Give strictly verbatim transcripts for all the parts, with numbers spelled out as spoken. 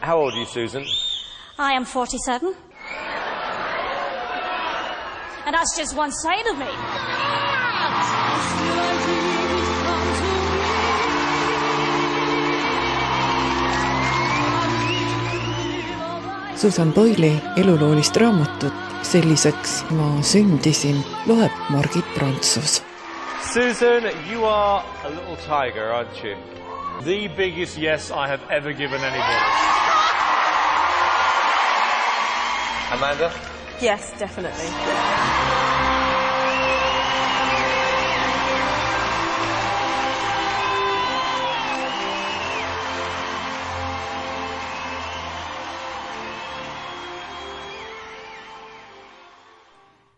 How old are you, Susan? I am forty-seven. And that's just one side of me. Susan Boyle'i eluloolist raamatut Selliseks ma sündisin loeb Margit Prantsus. Susan, you are a little tiger, aren't you? The biggest yes I have ever given anybody. Amanda? Yes, definitely.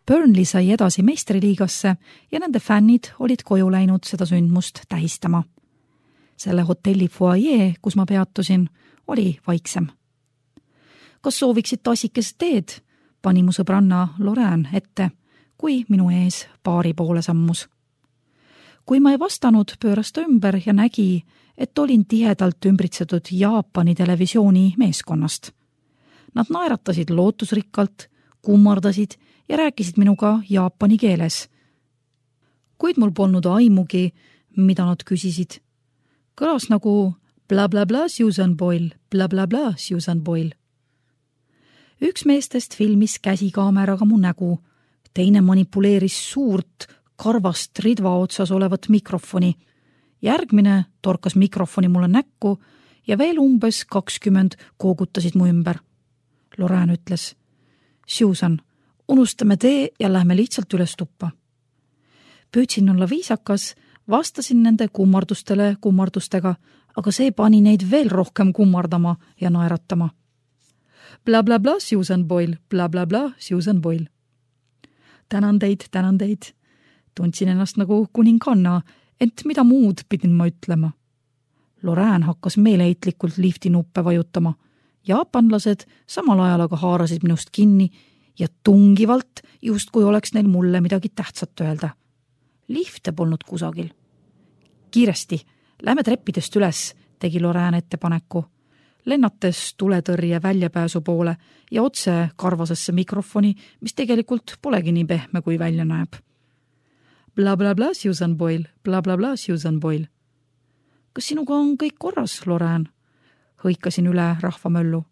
Burnley sai edasi meistriliigasse ja nende fännid olid koju läinud seda sündmust tähistama. Selle hotelli foajee, kus ma peatusin, oli vaiksem. Kas sooviksid tassikest teed? Pani mu sõbranna Lorraine ette, kui minu ees baari poole sammus. Kui ma ei vastanud, pööras ta ümber ja nägi, et olin tihedalt ümbritsetud Jaapani televisiooni meeskonnast. Nad naeratasid lootusrikkalt, kummardasid ja rääkisid minuga jaapani keeles. Kuid mul polnud aimugi, mida nad küsisid. Kõlas nagu bla bla bla Susan Boyle, bla bla bla Susan Boyle. Üks meestest filmis käsikaameraga mu nägu, teine manipuleeris suurt karvast ridva otsas olevat mikrofoni. Järgmine torkas mikrofoni mulle näkku ja veel umbes kakskümmend koogutasid mu ümber. Lorraine ütles, Susan, unustame tee ja lähme lihtsalt üles tuppa. Püüdsin olla viisakas, vastasin nende kummardustele kummardustega, aga see pani neid veel rohkem kummardama ja naeratama. Bla bla bla Susan Boyle, bla bla bla Susan Boyle. Tänan teid, tänan teid. Tundsin ennast nagu kuninganna, ent mida muud pidin ma ütlema. Lorraine hakkas meeleheitlikult lifti nuppe vajutama. Jaapanlased samal ajal aga haarasid minust kinni ja tungivalt, just kui oleks neil mulle midagi tähtsat öelda. Lifte polnud kusagil. Kiiresti, lähme treppidest üles, tegi Lorraine ettepaneku. Lennates tuletõrje väljapääsu poole ja otse karvasesse mikrofoni, mis tegelikult polegi nii pehme, kui välja näeb. Bla bla bla Susan Boyle, bla bla bla Susan Boyle. Kas sinuga on kõik korras, Lorraine? Hõikasin üle rahvamöllu.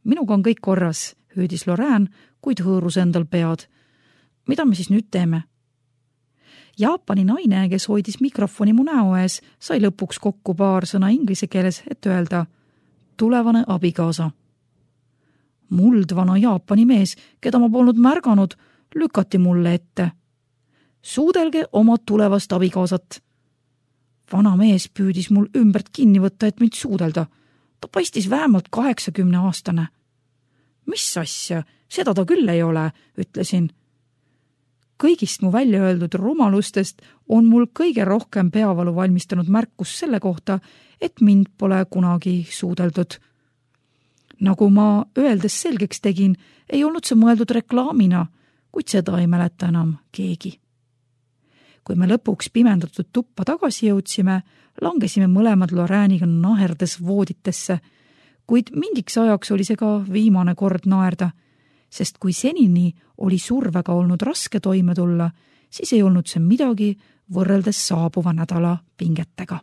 Minuga on kõik korras, hüüdis Lorraine, kuid hõõrus endal pead. Mida me siis nüüd teeme? Jaapani naine, kes hoidis mikrofoni mu näo ees, sai lõpuks kokku paar sõna inglise keeles, et öelda tulevane abikaasa. Muldvana Jaapani mees, keda ma polnud märganud, lükati mulle ette. Suudelge oma tulevast abikaasat. Vana mees püüdis mul ümbert kinni võtta, et mind suudelda. Ta paistis vähemalt kaheksakümne aastane. Mis asja, seda ta küll ei ole, ütlesin. Kõigist mu välja öeldud rumalustest on mul kõige rohkem peavalu valmistanud märkus selle kohta, et mind pole kunagi suudeldud. Nagu ma öeldes selgeks tegin, ei olnud see mõeldud reklaamina, kuid seda ei mäleta enam keegi. Kui me lõpuks pimendatud tuppa tagasi jõudsime, langesime mõlemad Lorraine'iga naherdes vooditesse, kuid mingiks ajaks oli see ka viimane kord naerda, sest kui senini oli survega olnud raske toime tulla, siis ei olnud see midagi võrreldes saabuva nädala pingetega.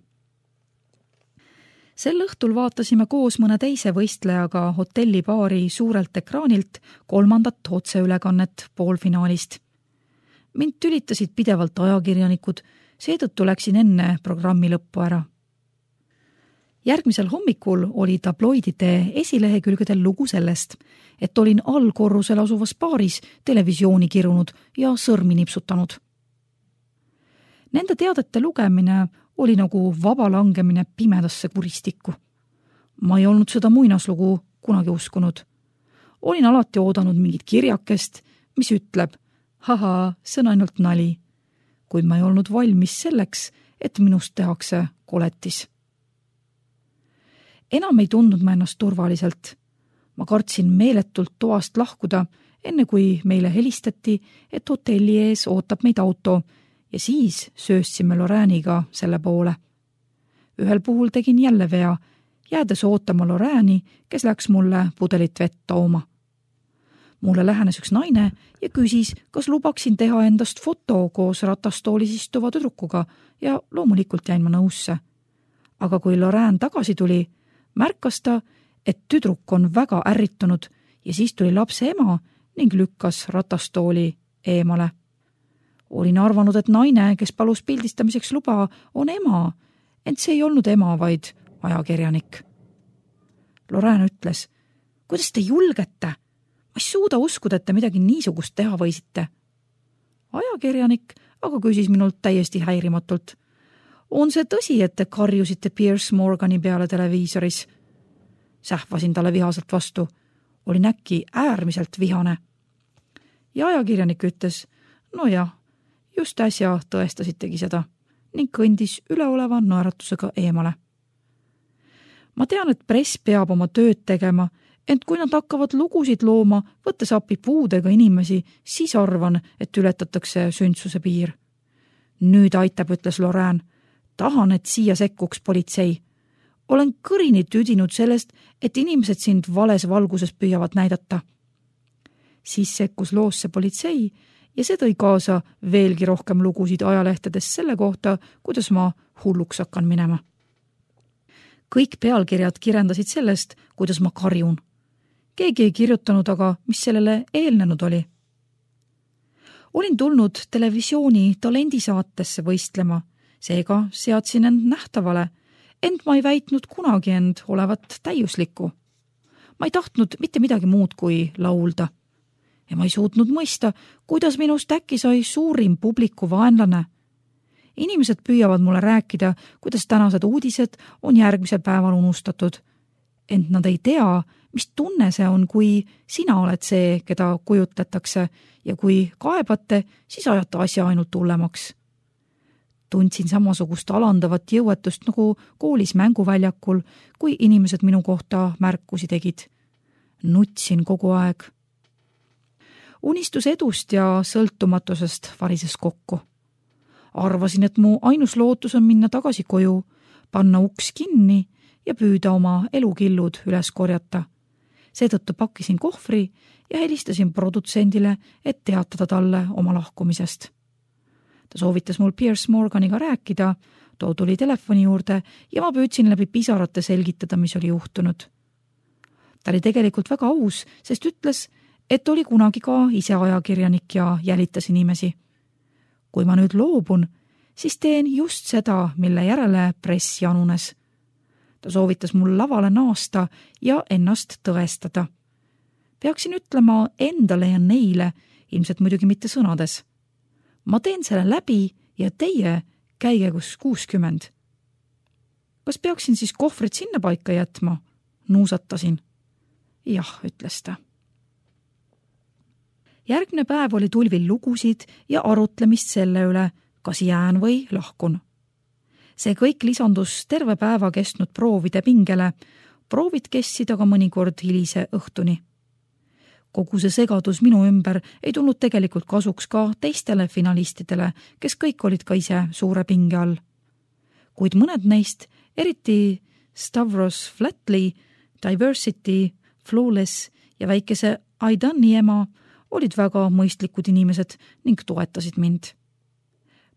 Sel õhtul vaatasime koos mõne teise võistlejaga hotellibaari suurelt ekraanilt kolmandat otseülekannet poolfinaalist. Mind tülitasid pidevalt ajakirjanikud, seetõttu läksin enne programmi lõppu ära. Järgmisel hommikul oli tabloidide esilehekülgedel lugu sellest, et olin allkorrusel asuvas baaris televisiooni kirunud ja sõrmi nipsutanud. Nende teadete lugemine oli nagu vaba langemine pimedasse kuristikku. Ma ei olnud seda muinaslugu kunagi uskunud. Olin alati oodanud mingit kirjakest, mis ütleb, haha, see on ainult nali, kuid ma ei olnud valmis selleks, et minust tehakse koletis. Enam ei tundnud ma ennast turvaliselt. Ma kartsin meeletult toast lahkuda, enne kui meile helistati, et hotelli ees ootab meid auto ja siis sööstsime Lorraine'iga selle poole. Ühel puhul tegin jälle vea jäädes ootama Lorraine'i, kes läks mulle pudelit vett tooma. Mulle lähenes üks naine ja küsis, kas lubaksin teha endast foto koos ratastoolis istuva tüdrukuga ja loomulikult jäin ma nõusse. Aga kui Lorraine tagasi tuli, märkas ta, et tüdruk on väga ärritunud ja siis tuli lapse ema ning lükkas ratastooli eemale. Olin arvanud, et naine, kes palus pildistamiseks luba, on ema, ent see ei olnud ema, vaid ajakirjanik. Lorraine ütles, kuidas te julgete? Ma ei suuda uskuda, et te midagi niisugust teha võisite. Ajakirjanik aga küsis minult täiesti häirimatult. On see tõsi, et te karjusite Piers Morgani peale televiisoris? Sähvasin talle vihaselt vastu. Olin äkki äärmiselt vihane. Ja ajakirjanik ütles, no jah, just äsja tõestasitegi seda ning kõndis üleoleva naeratusega eemale. Ma tean, et press peab oma tööd tegema, ent kui nad hakkavad lugusid looma, võttes appi puudega inimesi, siis arvan, et ületatakse sündsuse piir. Nüüd aitab, ütles Lorraine. Tahan, et siia sekkuks politsei. Olen kõrini tüdinud sellest, et inimesed sind vales valguses püüavad näidata. Siis sekkus loosse politsei ja see tõi kaasa veelgi rohkem lugusid ajalehtedes selle kohta, kuidas ma hulluks hakkan minema. Kõik pealkirjad kirendasid sellest, kuidas ma karjun. Keegi ei kirjutanud aga, mis sellele eelnenud oli. Olin tulnud televisiooni talendisaatesse võistlema, seega seadsin end nähtavale, ent ma ei väitnud kunagi end olevat täiuslikku. Ma ei tahtnud mitte midagi muud kui laulda. Ja ma ei suutnud mõista, kuidas minust äkki sai suurim publiku vaenlane. Inimesed püüavad mulle rääkida, kuidas tänased uudised on järgmisel päeval unustatud. Ent nad ei tea, mis tunne see on, kui sina oled see, keda kujutletakse ja kui kaebate, siis ajate asja ainult hullemaks. Tundsin samasugust alandavat jõuetust nagu koolis mänguväljakul, kui inimesed minu kohta märkusi tegid. Nutsin kogu aeg. Unistus edust ja sõltumatusest varises kokku. Arvasin, et mu ainus lootus on minna tagasi koju, panna uks kinni ja püüda oma elukillud üles korjata. Seetõttu pakkisin kohvri ja helistasin produtsendile, et teatada talle oma lahkumisest. Ta soovitas mul Piers Morganiga rääkida, too tuli telefoni juurde ja ma püüdsin läbi pisarate selgitada, mis oli juhtunud. Ta oli tegelikult väga aus, sest ütles, et oli kunagi ka ise ajakirjanik ja jälitas inimesi. Kui ma nüüd loobun, siis teen just seda, mille järele press janunes. Ta soovitas mul lavale naasta ja ennast tõestada. Peaksin ütlema endale ja neile, ilmselt muidugi mitte sõnades. Ma teen selle läbi ja teie käige kus kuuskümmend. Kas peaksin siis kohvrit sinna paika jätma? Nuusatasin. Jah, ütles ta. Järgne päev oli tulvil lugusid ja arutlemist selle üle, kas jään või lahkun. See kõik lisandus terve päeva kestnud proovide pingele. Proovid kestsid aga mõnikord hilise õhtuni. Kogu see segadus minu ümber ei tulnud tegelikult kasuks ka teistele finalistidele, kes kõik olid ka ise suure pinge all. Kuid mõned neist, eriti Stavros Flatley, Diversity, Flawless ja väikese Aidani ema, olid väga mõistlikud inimesed ning toetasid mind.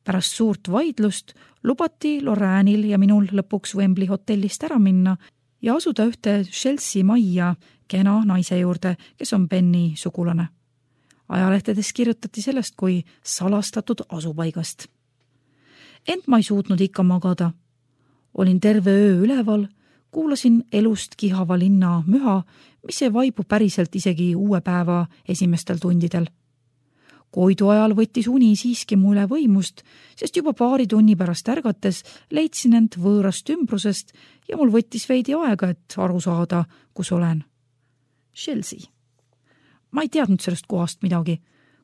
Pärast suurt vaidlust lubati Lorraine'il ja minul lõpuks Wembley hotellist ära minna ja asuda ühte Chelsea majja kena naise juurde, kes on Benny sugulane. Ajalehtedes kirjutati sellest kui salastatud asupaigast. Ent ma ei suutnud ikka magada. Olin terve öö üleval, kuulasin elust kihava linna müha, mis ei vaibu päriselt isegi uue päeva esimestel tundidel. Koidu ajal võttis uni siiski mu üle võimust, sest juba paari tunni pärast ärgates leidsin end võõrast ümbrusest ja mul võttis veidi aega, et aru saada, kus olen. Chelsea. Ma ei teadnud sellest kohast midagi,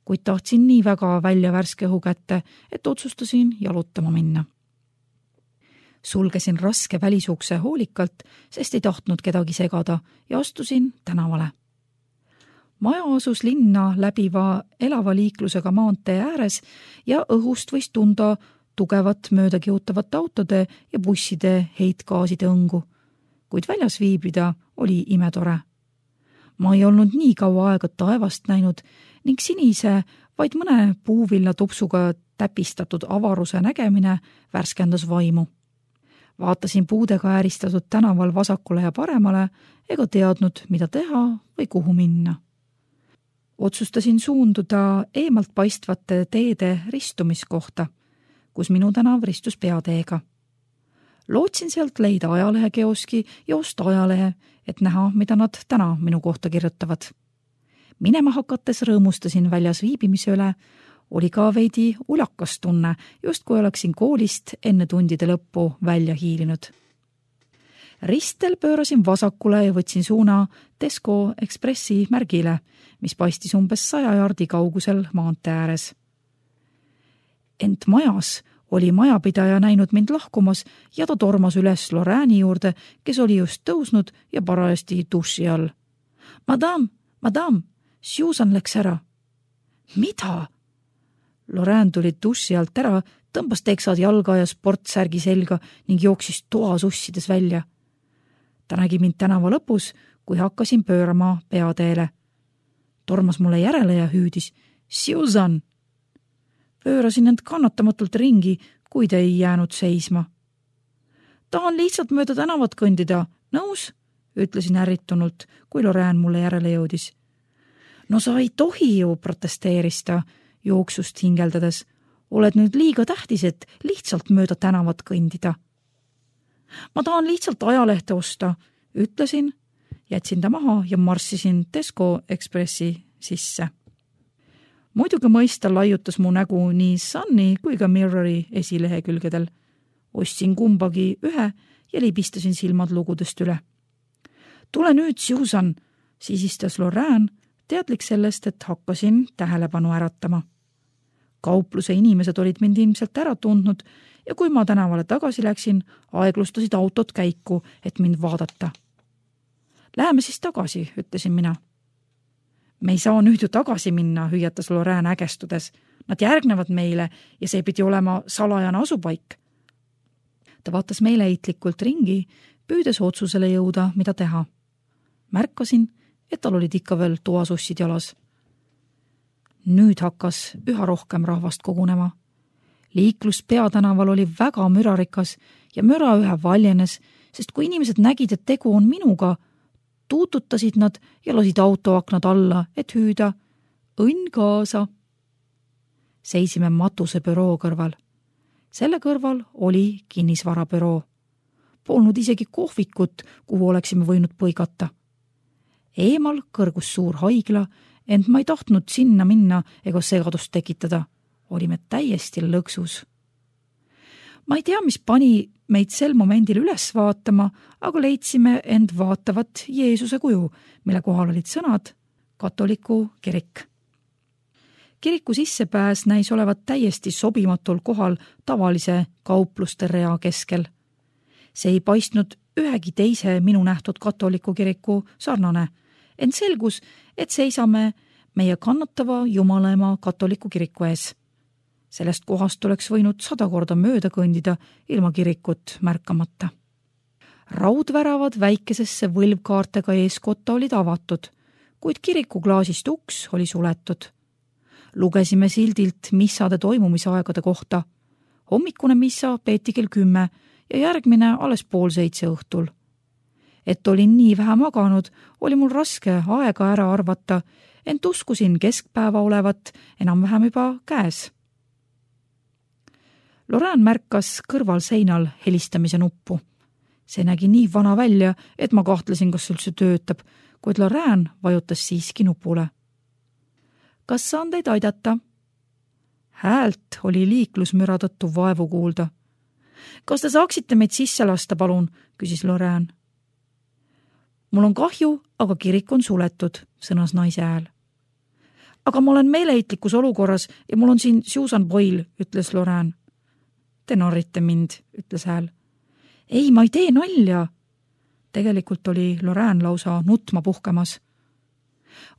kuid tahtsin nii väga välja värske õhu kätte, et otsustasin jalutama minna. Sulgesin raske välisukse hoolikalt, sest ei tahtnud kedagi segada ja astusin tänavale. Maja asus linna läbiva elava liiklusega maantee ääres ja õhust võis tunda tugevat möödakiutavate autode ja busside heitgaaside õngu. kuid väljas viibida oli imetore. Ma ei olnud nii kaua aega taevast näinud ning sinise, vaid mõne puuvilla tupsuga täpistatud avaruse nägemine värskendas vaimu. Vaatasin puudega ääristatud tänaval vasakule ja paremale ega teadnud, mida teha või kuhu minna. Otsustasin suunduda eemalt paistvate teede ristumiskohta, kus minu tänav ristus peateega. Lootsin sealt leida ajalehekeoski ja osta ajalehe, et näha, mida nad täna minu kohta kirjutavad. Minema hakates rõõmustasin väljas viibimise üle, oli ka veidi ulakas tunne, just kui oleksin koolist enne tundide lõppu välja hiilinud. Ristel pöörasin vasakule ja võtsin suuna Tesco Expressi märgile, mis paistis umbes saja jardi kaugusel maantee ääres. Ent majas oli majapidaja näinud mind lahkumas ja ta tormas üles Lorraine'i juurde, kes oli just tõusnud ja parajasti duši all. Madame, madame, Susan läks ära. Mida? Lorraine tuli duši alt ära, tõmbas teksad jalga ja sportsärgi selga ning jooksis toa sussides välja. Ta nägi mind tänava lõpus, kui hakkasin pöörama peateele. Tormas mulle järele ja hüüdis, Susan! Pöörasin end kannatamatult ringi, kuid ei jäänud seisma. Tahan lihtsalt mööda tänavat kõndida. Nõus? Ütlesin ärritunult, kui Lorraine mulle järele jõudis. No sa ei tohi ju, protesteeris ta, jooksust hingeldades. Oled nüüd liiga tähtis, et lihtsalt mööda tänavat kõndida. Ma tahan lihtsalt ajalehte osta, ütlesin, jätsin ta maha ja marssisin Tesco Expressi sisse. Muidugi mõista laiutas mu nägu nii Sunny kui ka Mirrori esilehekülgedel. Ostsin kumbagi ühe ja libistasin silmad lugudest üle. Tule nüüd, Susan, sisistas Lorraine, teadlik sellest, et hakkasin tähelepanu äratama. Kaupluse inimesed olid mind ilmselt ära tundnud ja kui ma tänavale tagasi läksin, aeglustasid autot käiku, et mind vaadata. Läheme siis tagasi, ütlesin mina. Me ei saa nüüd ju tagasi minna, hüüatas Lorraine ägestudes. Nad järgnevad meile ja see pidi olema salajane asupaik. Ta vaatas meeleheitlikult ringi, püüdes otsusele jõuda, mida teha. Märkasin, et tal olid ikka veel toasussid jalas. Nüüd hakkas üha rohkem rahvast kogunema. Liiklus peatänaval oli väga mürarikas ja müra ühe valjenes, sest kui inimesed nägid, et tegu on minuga, tuututasid nad ja lasid autoaknad alla, et hüüda õnn kaasa. Seisime matuse büroo kõrval. Selle kõrval oli kinnisvarabüroo. Polnud isegi kohvikut, kuhu oleksime võinud põigata. Eemal kõrgus suur haigla, ent ma ei tahtnud sinna minna ega segadust tekitada. Olime täiesti lõksus. Ma ei tea, mis pani meid sel momendil üles vaatama, aga leidsime end vaatavat Jeesuse kuju, mille kohal olid sõnad katoliku kirik. Kiriku sissepääs näis olevat täiesti sobimatul kohal tavalise kaupluste rea keskel. See ei paistnud ühegi teise minu nähtud katoliku kiriku sarnane, ent selgus, et seisame meie kannatava Jumalaema katoliku kiriku ees. Sellest kohast oleks võinud sada korda mööda kõndida ilma kirikut märkamata. Raudväravad väikesesse võlvkaartega eeskotta olid avatud, kuid kiriku klaasist uks oli suletud. Lugesime sildilt missade toimumisaegade kohta. Hommikune missa peeti kell kümme ja järgmine alles pool seitse õhtul. Et olin nii vähe maganud, oli mul raske aega ära arvata, ent uskusin keskpäeva olevat enam-vähem juba käes. Lorraine märkas kõrval seinal helistamise nuppu. See nägi nii vana välja, et ma kahtlesin, kas üldse töötab, kuid Lorraine vajutas siiski nupule. Kas saan teid aidata? Häält oli liiklusmüra tõttu vaevu kuulda. Kas te saaksite meid sisse lasta, palun, küsis Lorraine. Mul on kahju, aga kirik on suletud, sõnas naise hääl. Aga ma olen meeleheitlikus olukorras ja mul on siin Susan Boyle, ütles Lorraine. Te narrite mind, ütles hääl. Ei, ma ei tee nalja. Tegelikult oli Lorraine lausa nutma puhkemas.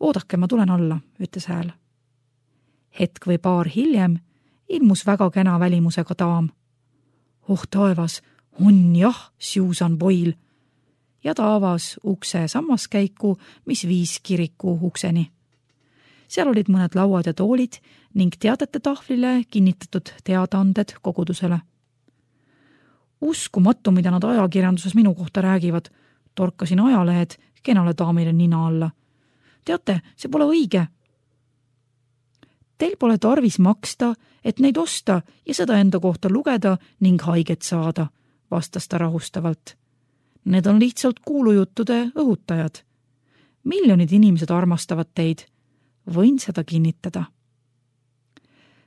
Oodake, ma tulen alla, ütles hääl. Hetk või paar hiljem ilmus väga kena välimusega daam. Oh taevas, on jah, Susan Boyle. ja ta avas ukse sammaskäiku, mis viis kiriku ukseni. Seal olid mõned lauad ja toolid ning teadete tahvlile kinnitatud teadaanded kogudusele. Uskumatu, mida nad ajakirjanduses minu kohta räägivad, torkasin ajalehed kenale daamile nina alla. Teate, see pole õige. Teil pole tarvis maksta, et neid osta ja seda enda kohta lugeda ning haiget saada, vastas ta rahustavalt. Need on lihtsalt kuulujuttude õhutajad. Miljonid inimesed armastavad teid. Võin seda kinnitada.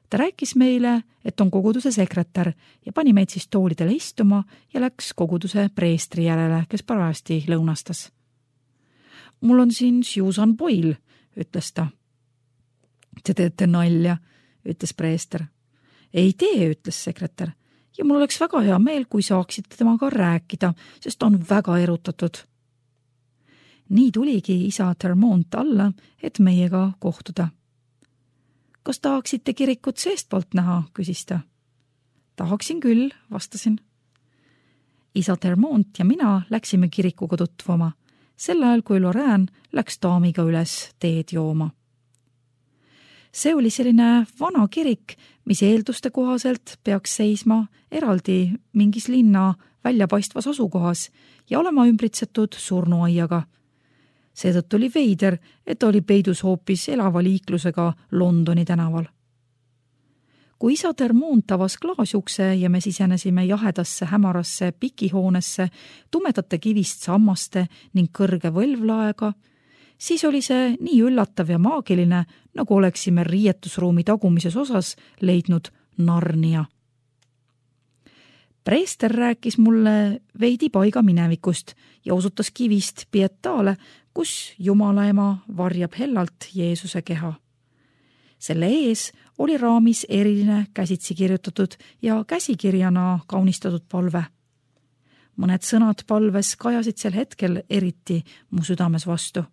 Ta rääkis meile, et on koguduse sekretär ja pani meid siis toolidele istuma ja läks koguduse preestri järele, kes parajasti lõunastas. Mul on siin Susan Boyle, ütles ta. Te teete nalja, ütles preester. Ei tee, ütles sekretär, ja mul oleks väga hea meel, kui saaksite temaga rääkida, sest ta on väga erutatud. Nii tuligi isa Termont alla, et meiega kohtuda. Kas tahaksite kirikut seestpoolt näha, küsis ta. Tahaksin küll, vastasin. Isa Termont ja mina läksime kirikuga tutvuma, sel ajal kui Lorraine läks daamiga üles teed jooma. See oli selline vana kirik, mis eelduste kohaselt peaks seisma eraldi mingis linna väljapaistvas asukohas ja olema ümbritsetud surnuaiaga. Seetõttu oli veider, et oli peidus hoopis elava liiklusega Londoni tänaval. Kui isa Termont avas klaasjukse ja me sisenesime jahedasse hämarasse pikihoonesse tumedate kivist sammaste ning kõrge võlvlaega, siis oli see nii üllatav ja maagiline, nagu oleksime riietusruumi tagumises osas leidnud Narnia. Preester rääkis mulle veidi paiga minevikust ja osutas kivist Pietaale, kus Jumala ema varjab hellalt Jeesuse keha. Selle ees oli raamis eriline käsitsi kirjutatud ja käsikirjana kaunistatud palve. Mõned sõnad palves kajasid sel hetkel eriti mu südames vastu.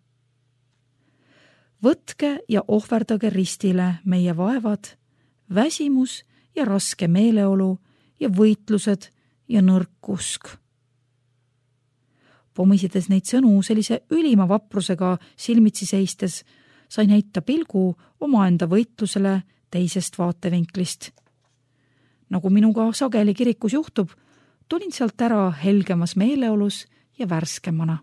Võtke ja ohverdage ristile meie vaevad, väsimus ja raske meeleolu ja võitlused ja nõrk usk. Pomisides neid sõnu sellise ülima vaprusega silmitsi seistes, sain heita pilgu omaenda võitlusele teisest vaatevinklist. Nagu minuga sageli kirikus juhtub, tulin sealt ära helgemas meeleolus ja värskemana.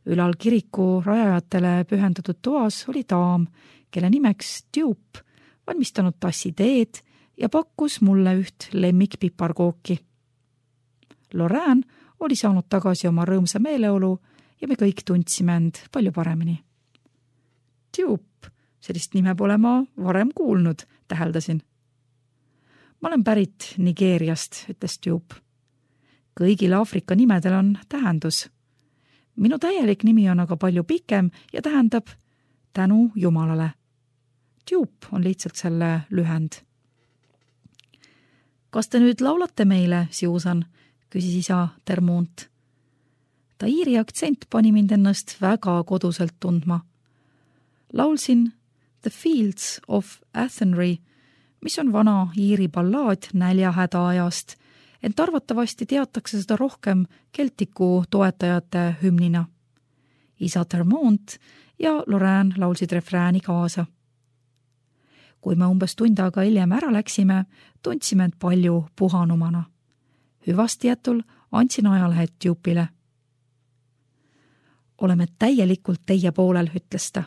Ülal kiriku rajajatele pühendatud toas oli daam, kelle nimeks Dupe, valmistanud tassi teed ja pakkus mulle üht lemmikpiparkooki. Lorraine oli saanud tagasi oma rõõmsa meeleolu ja me kõik tundsime end palju paremini. Dupe, sellist nime pole ma varem kuulnud, täheldasin. Ma olen pärit Nigeeriast, ütles Dupe. Kõigil Aafrika nimedel on tähendus. Minu täielik nimi on aga palju pikem ja tähendab tänu Jumalale. Dupe on lihtsalt selle lühend. Kas te nüüd laulate meile, Susan? Küsis isa Termont. Ta iiri aktsent pani mind ennast väga koduselt tundma. Laulsin The Fields of Athenry, mis on vana iiri ballaad näljahäda ajast, ent arvatavasti teatakse seda rohkem Keltiku toetajate hümnina. Isa Termont ja Lorraine laulsid refrääni kaasa. Kui me umbes tund aega hiljem ära läksime, tundsime end palju puhanumana. Hüvastijätul andsin ajalehed Dupe'ile. Oleme täielikult teie poolel, ütles ta,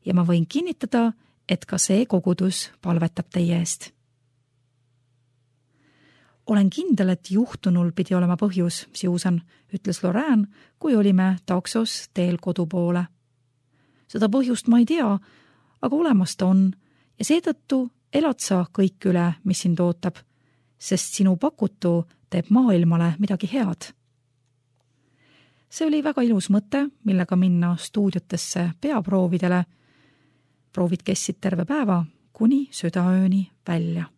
ja ma võin kinnitada, et ka see kogudus palvetab teie eest. Olen kindel, et juhtunul pidi olema põhjus, Susan, ütles Lorraine, kui olime taksos teel kodu poole. Seda põhjust ma ei tea, aga olemas ta on ja seetõttu elad sa kõik üle, mis sind ootab, sest sinu pakutu teeb maailmale midagi head. See oli väga ilus mõte, millega minna stuudiotesse peaproovidele. Proovid kessid terve päeva kuni südaööni välja.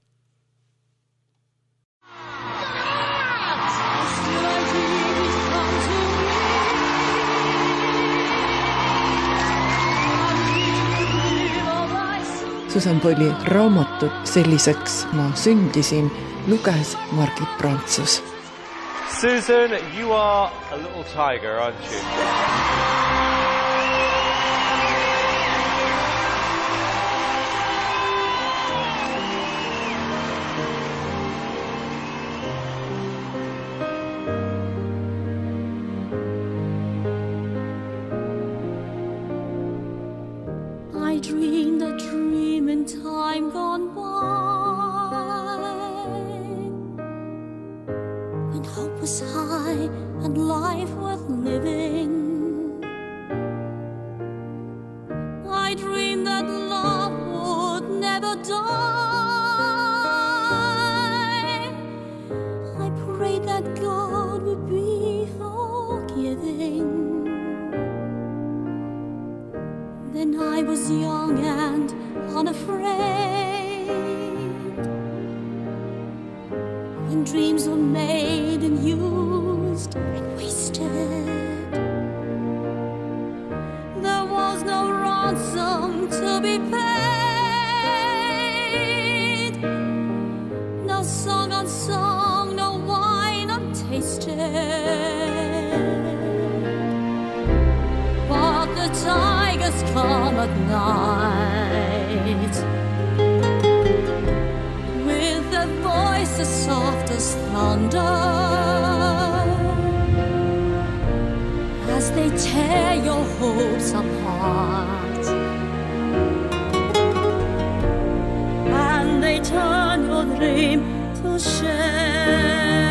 Susan Boyle'i raamatut Selliseks ma sündisin luges Margit Prantsus. Susan, you are a little tiger, aren't you? I dreamed a dream in time gone by, when hope was high and life worth living. I dreamed that love would never die. I prayed that God would be forgiving. Then I was young and unafraid, when dreams were made and used and wasted. There was no ransom to be paid, no song unsung, no wine untasted. But the tigers come at night, with their voices soft as thunder, as they tear your hopes apart, and they turn your dream to shame.